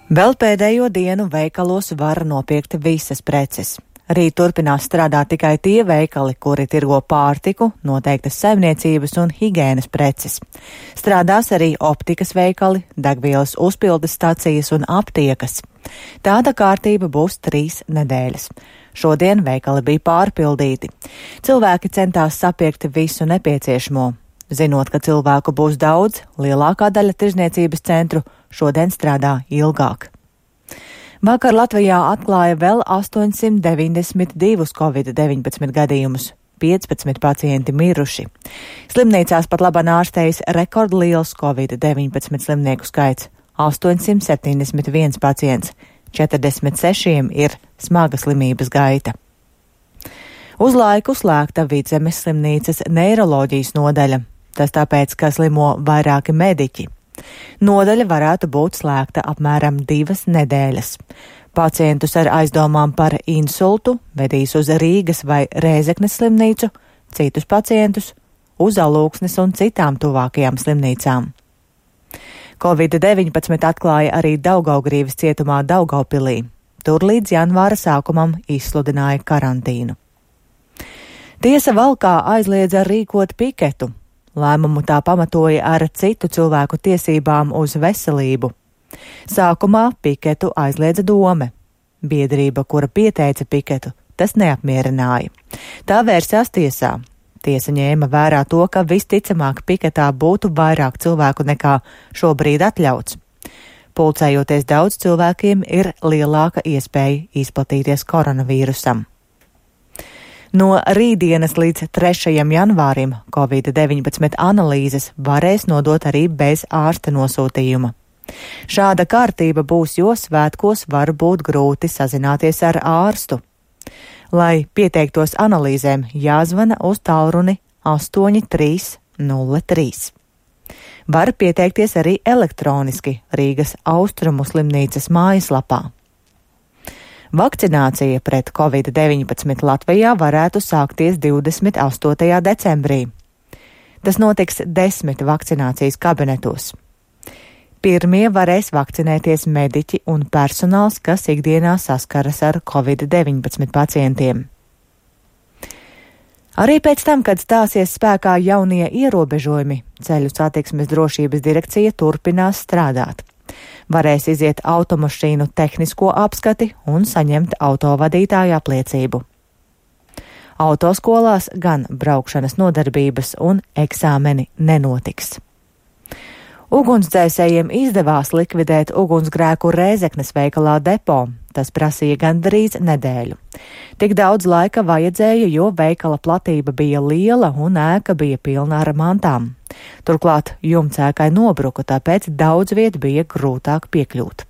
Vēl pēdējo dienu veikalos var nopirkt visas preces. Rīt turpinās strādāt tikai tie veikali, kuri tirgo pārtiku, noteiktas saimniecības un higienas preces. Strādās arī optikas veikali, degvielas uzpildes stacijas un aptiekas. Tāda kārtība būs 3 nedēļas. Šodien veikali bija pārpildīti. Cilvēki centās sapirkt visu nepieciešamo. Zinot, ka cilvēku būs daudz, lielākā daļa tirzniecības centru šodien strādā ilgāk. Vakar Latvijā atklāja vēl 892 Covid-19 gadījumus, 15 pacienti miruši. Slimnīcās pat labāk ārstējas rekordliels Covid-19 slimnieku skaits - 871 pacients, 46 ir smaga slimības gaita. Uz laiku slēgta Vidzemes slimnīcas neiroloģijas nodaļa. Tas tāpēc, ka slimo vairāki mediķi. Nodaļa varētu būt slēgta apmēram 2 nedēļas. Pacientus ar aizdomām par insultu vedīs uz Rīgas vai Rēzeknes slimnīcu, citus pacientus uz Alūksnes un citām tuvākajām slimnīcām. Covid-19 atklāja arī Daugavgrīvas cietumā Daugavpilī. Tur līdz janvāra sākumam izsludināja karantīnu. Tiesa Valkā aizliedza rīkot piketu. Lēmumu tā pamatoja ar citu cilvēku tiesībām uz veselību. Sākumā piketu aizliedza Dome. Biedrība, kura pieteica piketu, tas neapmierināja. Tā vērsās tiesā. Tiesa ņēma vērā to, ka visticamāk piketā būtu vairāk cilvēku nekā šobrīd atļauts. Pulcējoties daudz cilvēkiem, ir lielāka iespēja izplatīties koronavīrusam. No rītdienas līdz 3. janvārim Covid-19 analīzes varēs nodot arī bez ārsta nosūtījuma. Šāda kārtība būs, jo svētkos var būt grūti sazināties ar ārstu. Lai pieteiktos analīzēm, jāzvana uz tālruni 8303. Var pieteikties arī elektroniski Rīgas Austrumu slimnīcas mājaslapā. Vakcinācija pret Covid-19 Latvijā varētu sākties 28. decembrī. Tas notiks 10 vakcinācijas kabinetos. Pirmie varēs vakcinēties mediķi un personāls, kas ikdienā saskaras ar Covid-19 pacientiem. Arī pēc tam, kad stāsies spēkā jaunie ierobežojumi, Ceļu satiksmes drošības direkcija turpinās strādāt. Varēs iziet automašīnu tehnisko apskati un saņemt autovadītāju apliecību. Autoskolās gan braukšanas nodarbības un eksāmeni nenotiks. Ugunsdzēsējiem izdevās likvidēt ugunsgrēku Rēzeknes veikalā Depo. Tas prasīja gandrīz nedēļu. Tik daudz laika vajadzēja, jo veikala platība bija liela un ēka bija pilna ar mantām. Turklāt jumts ēkai nobruka, tāpēc daudz vietu bija grūtāk piekļūt.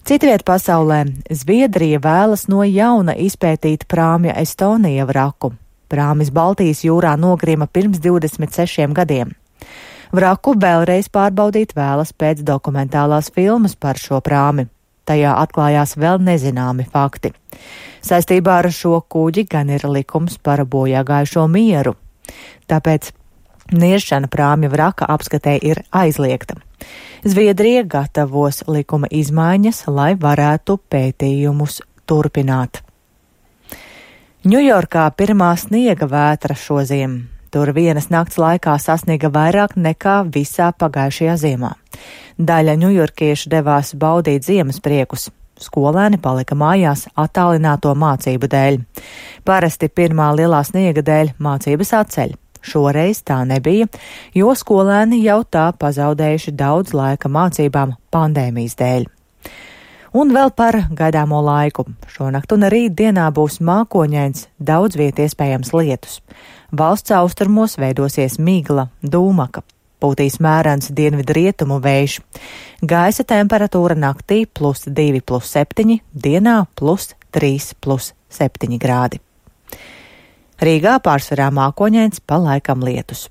Citviet pasaulē Zviedrija vēlas no jauna izpētīt prāmja Estonija vraku. Prāmis Baltijas jūrā nogrima pirms 26 gadiem. Vraku vēlreiz pārbaudīt vēlas pēc dokumentālās filmas par šo prāmi. Tajā atklājās vēl nezināmi fakti. Saistībā ar šo kuģi gan ir likums par bojāgājušo mieru. Tāpēc niešana prāmja vraka apskatē ir aizliegta. Zviedrija gatavos likuma izmaiņas, lai varētu pētījumus turpināt. Ņujorkā pirmā sniega vētra šoziem. Tur vienas nakts laikā sasniega vairāk nekā visā pagājušajā ziemā. Daļa ņujorkiešu devās baudīt ziemas priekus. Skolēni palika mājās attālināto mācību dēļ. Parasti pirmā lielā sniega dēļ mācības atceļ. Šoreiz tā nebija, jo skolēni jau tā pazaudējuši daudz laika mācībām pandēmijas dēļ. Un vēl par gaidāmo laiku. Šonakt un rīt dienā būs mākoņains, daudz viet iespējams lietus. Valsts austrumos veidosies migla, dūmaka. Pūtīs mērens dienvidu rietumu vējš. Gaisa temperatūra naktī +2, +7, dienā +3, +7 grādi. Rīgā pārsvarā mākoņains, pa laikam lietus.